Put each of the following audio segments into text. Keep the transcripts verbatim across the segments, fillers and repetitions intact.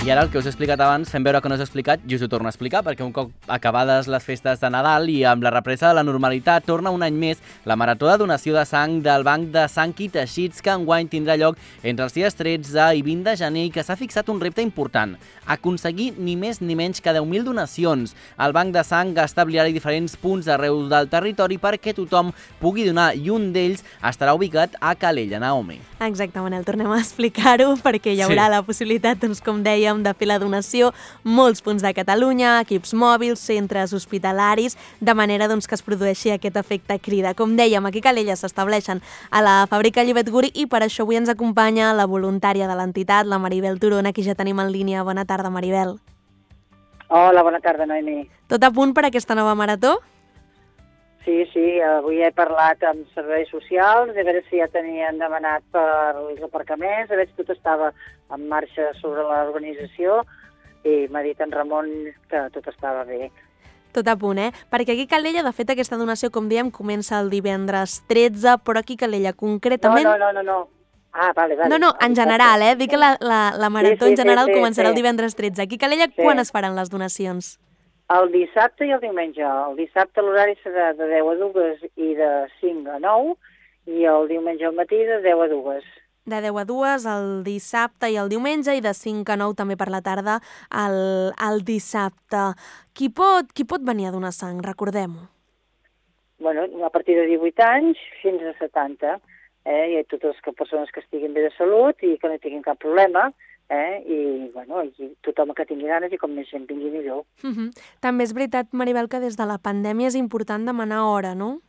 I ara el que us he explicat abans, fem veure que no us he explicat, i us ho torno a explicar, perquè un cop acabades les festes de Nadal i amb la represa de la normalitat, torna un any més la Marató de Donació de Sang del Banc de Sang i Teixits, que enguany tindrà lloc entre els dies tretze i vint de gener i que s'ha fixat un repte important: aconseguir ni més ni menys que deu mil donacions. El Banc de Sang establirà diferents punts arreu del territori perquè tothom pugui donar, i un d'ells estarà ubicat a Calella, Naomi. Exacte, Manel, tornem a explicar-ho perquè hi haurà sí. la possibilitat, doncs, com dèiem, de fer la donació, molts punts de Catalunya, equips mòbils, centres hospitalaris, de manera doncs, que es produeixi aquest efecte crida. Com dèiem, aquí a Calella s'estableixen a la fàbrica Llobet Guri i per això avui ens acompanya la voluntària de l'entitat, la Maribel Turona, qui ja tenim en línia. Bona tarda, Maribel. Hola, bona tarda, Noemi. Tot a punt per aquesta nova marató? Sí, sí, avui he parlat amb serveis socials, a veure si ja tenien demanat per els aparcaments, a veure si tot estava en marxa sobre l'organització, i m'ha dit en Ramon que tot estava bé. Tot a punt, eh? Perquè aquí a Calella, de fet, aquesta donació, com diem, comença el divendres tretze, però aquí a Calella concretament... No, no, no, no, no. Ah, vale, vale. No, no, en general, eh? Dic que la, la, la marató sí, sí, en general sí, sí, començarà sí. el divendres tretze. Aquí a Calella, sí. Quan es faran les donacions? El dissabte i el diumenge. El dissabte l'horari serà de deu a dues i de cinc a nou, i el diumenge al matí de deu a dues. De deu a dues el dissabte i el diumenge, i de cinc a nou també per la tarda el, el dissabte. Qui pot, qui pot venir a donar sang? Recordem-ho. Bueno, a partir de divuit anys fins a setanta. Eh? Hi ha totes les persones que estiguin bé de salut i que no tinguin cap problema, eh? I, bueno, i tothom que tingui ganes i com més gent vingui millor. Uh -huh. També és veritat, Maribel, que des de la pandèmia és important demanar hora, no?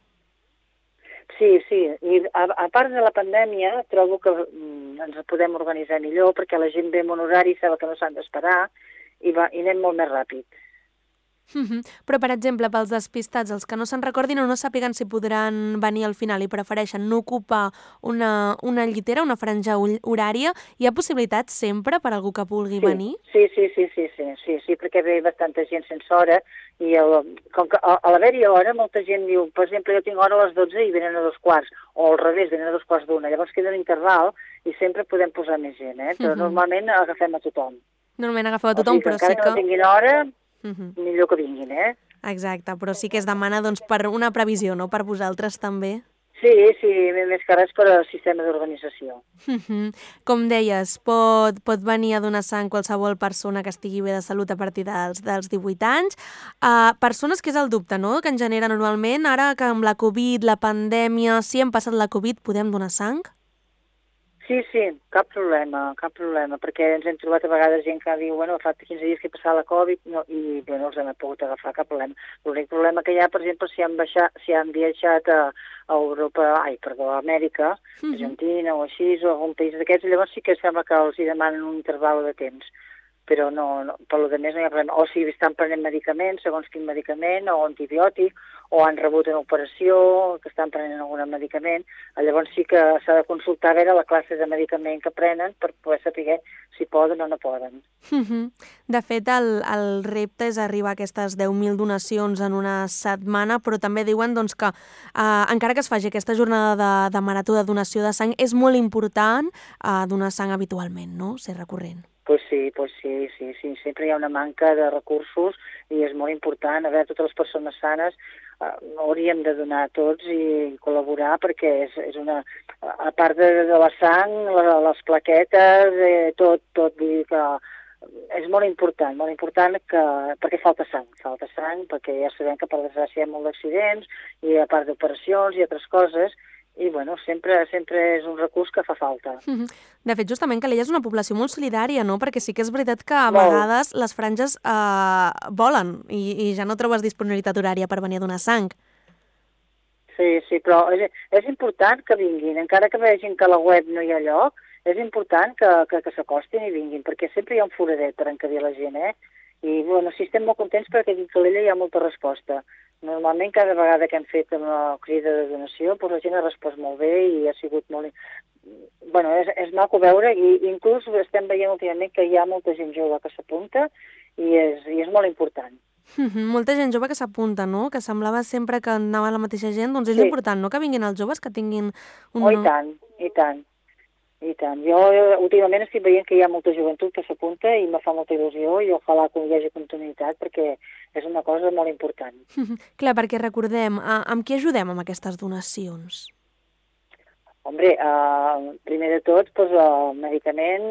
Sí, sí. I a, a part de la pandèmia, trobo que mm, ens podem organitzar millor perquè la gent ve en un horari i sap que no s'han d'esperar i, va, i anem molt més ràpid. Uh -huh. Però, per exemple, pels despistats, els que no se'n recordin o no sàpiguen si podran venir al final i prefereixen no ocupar una, una llitera, una franja horària, hi ha possibilitats sempre per a algú que vulgui sí, venir? Sí, sí, sí, sí, sí, sí, sí, perquè ve bastanta gent sense hora i el, com que a, a l'haver-hi hora molta gent diu, per exemple, jo tinc hora a les dotze i venen a dos quarts, o al revés, venen a dos quarts d'una, llavors queda un interval i sempre podem posar més gent, eh? Però uh -huh. normalment agafem a tothom. Normalment agafeu a tothom, o sigui, però sí que... encara que no tinguin hora... Uh -huh. millor que vinguin, eh? Exacte, però sí que es demana doncs, per una previsió, no?, per vosaltres també. Sí, sí, més que res per al sistema d'organització. Uh -huh. Com deies, pot, pot venir a donar sang qualsevol persona que estigui bé de salut a partir dels, dels divuit anys. Uh, persones que és el dubte, no?, que en genera normalment, ara que amb la Covid, la pandèmia, si hem passat la Covid, podem donar sang? Sí, sí, cap problema, cap problema, perquè ens hem trobat a vegades gent que diu, bueno, fa quinze dies que he passat la Covid no, i bé, no els hem pogut agafar, cap problema. L'únic problema que hi ha, per exemple, si han, baixat, si han viatjat a, a Europa, ai, perdó, a Amèrica, uh-huh. Argentina o així, o algun país d'aquests, llavors sí que sembla que els hi demanen un interval de temps, però no, no, per lo de més no hi ha problema. O si estan prenent medicaments, segons quin medicament, o antibiòtic, o han rebut una operació, que estan prenent algun medicament, llavors sí que s'ha de consultar a veure la classe de medicament que prenen per poder saber si poden o no poden. Uh -huh. De fet, el, el repte és arribar a aquestes deu mil donacions en una setmana, però també diuen doncs, que eh, encara que es faci aquesta jornada de, de marató de donació de sang, és molt important eh, donar sang habitualment, no?, ser recurrent. Pues sí, pues sí, sí, sí, sempre hi ha una manca de recursos i és molt important. A veure, totes les persones sanes eh, hauríem de donar tots i col·laborar perquè és, és una... A part de, de la sang, la, les plaquetes, eh, tot, tot, vull dir que és molt important, molt important que, perquè falta sang, falta sang, perquè ja sabem que per desgràcia hi ha molts accidents i a part d'operacions i altres coses, i bueno, sempre, sempre és un recurs que fa falta. De fet, justament Calella és una població molt solidària, no? Perquè sí que és veritat que a molt. vegades les franges eh, volen i, i ja no trobes disponibilitat horària per venir a donar sang. Sí, sí, però és, és important que vinguin, encara que vegin que a la web no hi ha lloc, és important que, que, que s'acostin i vinguin, perquè sempre hi ha un foradet per encabir la gent, eh? I bueno, sí, estem molt contents perquè aquí a Calella hi ha molta resposta. Normalment, cada vegada que hem fet una crida de donació, doncs la gent ha respost molt bé i ha sigut molt... Bueno, és, és maco veure, i inclús estem veient últimament que hi ha molta gent jove que s'apunta i és, i és molt important. Mm-hmm. Molta gent jove que s'apunta, no? Que semblava sempre que anava la mateixa gent, doncs és sí. important, no?, que vinguin els joves, que tinguin... Un... Oh, i tant, i tant. I tant. Jo últimament estic veient que hi ha molta joventut que s'apunta i me fa molta il·lusió i ojalà que hi hagi continuïtat perquè és una cosa molt important. Clar, perquè recordem, a, amb què ajudem amb aquestes donacions? Hombre, eh, primer de tot, doncs, el medicament,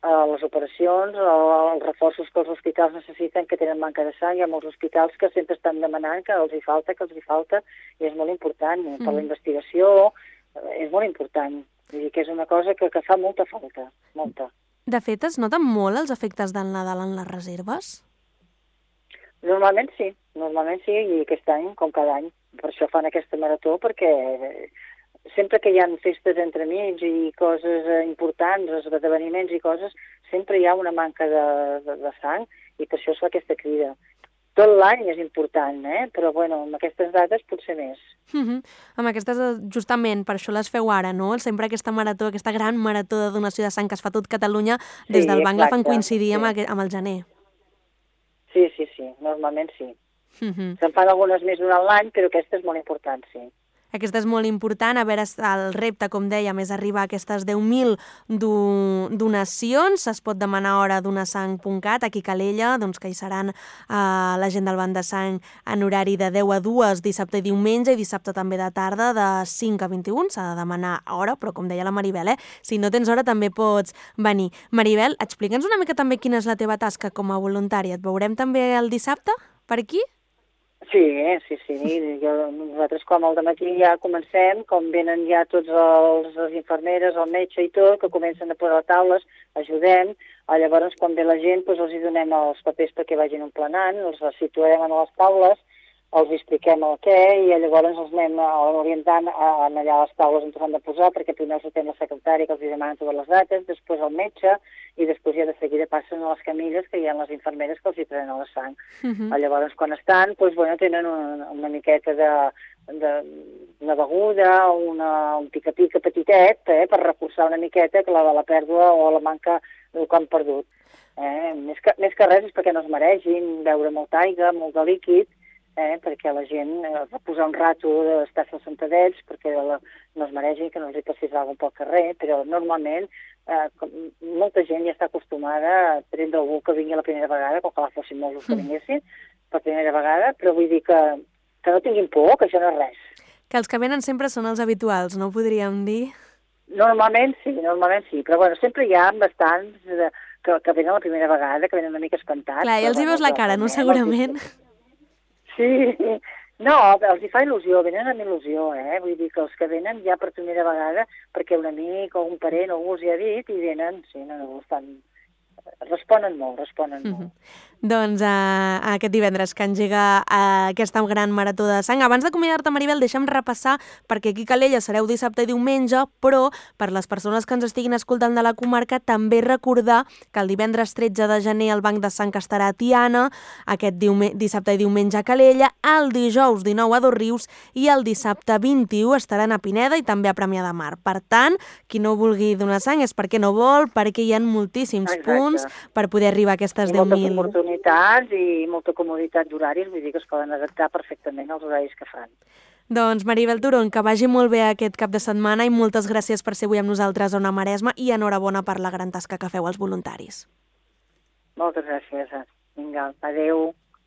eh, les operacions, eh, els reforços que els hospitals necessiten, que tenen manca de sang. Hi ha molts hospitals que sempre estan demanant que els hi falta, que els hi falta, i és molt important. Mm. Per la investigació és molt important. Vull dir que és una cosa que, que fa molta falta, molta. De fet, es noten molt els efectes del Nadal en les reserves? Normalment sí, normalment sí, i aquest any, com cada any. Per això fan aquesta marató, perquè sempre que hi ha festes entremig i coses importants, esdeveniments i coses, sempre hi ha una manca de, de, de sang, i per això es fa aquesta crida. Tot l'any és important, eh? Però bueno, amb aquestes dates potser més. Uh-huh. Amb aquestes, justament, per això les feu ara, no? Sempre aquesta marató, aquesta gran marató de donació de sang que es fa tot Catalunya, sí, des del banc la fan coincidir sí. amb, el, amb el gener. Sí, sí, sí, normalment sí. Uh-huh. Se'n fan algunes més durant l'any, però aquesta és molt important, sí. Aquesta és molt important, a veure, el repte, com dèiem, és arribar a aquestes deu mil do donacions. Es pot demanar hora a donasang punt cat, aquí a Calella, doncs que hi seran eh, la gent del Banc de Sang en horari de deu a dues, dissabte i diumenge, i dissabte també de tarda, de cinc a vint-i-una. S'ha de demanar hora, però com deia la Maribel, eh, si no tens hora també pots venir. Maribel, explica'ns una mica també quina és la teva tasca com a voluntària. Et veurem també el dissabte per aquí? Sí, sí, sí. Jo, nosaltres com al dematí ja comencem, com venen ja tots els, les infermeres, el metge i tot, que comencen a posar taules, ajudem. Llavors, quan ve la gent, doncs els hi donem els papers perquè vagin emplenant, els situem a les taules, els expliquem el què i llavors els anem orientant a, a allà a les taules on s'han de posar, perquè primer els atén la secretària que els demana totes les dates, després el metge, i després ja de seguida passen a les camilles que hi ha les infermeres que els hi prenen la sang. Uh-huh. Llavors, quan estan, doncs, bueno, tenen una, una miqueta de, de una beguda, una, un pica-pica petitet, eh, per reforçar una miqueta que la de la pèrdua o la manca del que han perdut. Eh? Més, que, més que res és perquè no es maregin, beure molta aigua, molt de líquid, eh, perquè la gent eh, va posar un rato d'estar-se sentadets perquè la, no es maregin, que no els hi passés alguna pel carrer, però normalment eh, com, molta gent ja està acostumada a prendre algú que vingui la primera vegada, com que la fossin molts que vinguessin per primera vegada, però vull dir que, que no tinguin por, que això no és res. Que els que venen sempre són els habituals, no ho podríem dir? Normalment sí, normalment sí, però bueno, sempre hi ha bastants de, que, que venen la primera vegada, que venen una mica espantats. Clar, i els hi veus la cara, no, segurament? Sí, no, els hi fa il·lusió, venen amb il·lusió, eh? Vull dir que els que venen ja per primera vegada, perquè un amic o un parent o algú els hi ha dit, i venen, sí, no, no, estan... responen molt, responen molt. Mm-hmm. Doncs uh, aquest divendres que engega uh, aquesta gran marató de sang. Abans d'acomiadar-te, Maribel, deixa'm repassar, perquè aquí a Calella sereu dissabte i diumenge, però per les persones que ens estiguin escoltant de la comarca, també recordar que el divendres tretze de gener el Banc de Sang estarà a Tiana, aquest dissabte i diumenge a Calella, el dijous dinou a Dosrius i el dissabte vint-i-u estaran a Pineda i també a Premià de Mar. Per tant, qui no vulgui donar sang és perquè no vol, perquè hi ha moltíssims Exacte. punts per poder arribar a aquestes deu mil. I molta comoditat d'horaris, vull dir que es poden adaptar perfectament als horaris que fan. Doncs Maribel Turon, que vagi molt bé aquest cap de setmana i moltes gràcies per ser avui amb nosaltres a Ona Maresma i enhorabona per la gran tasca que feu als voluntaris. Moltes gràcies. Vinga, adeu.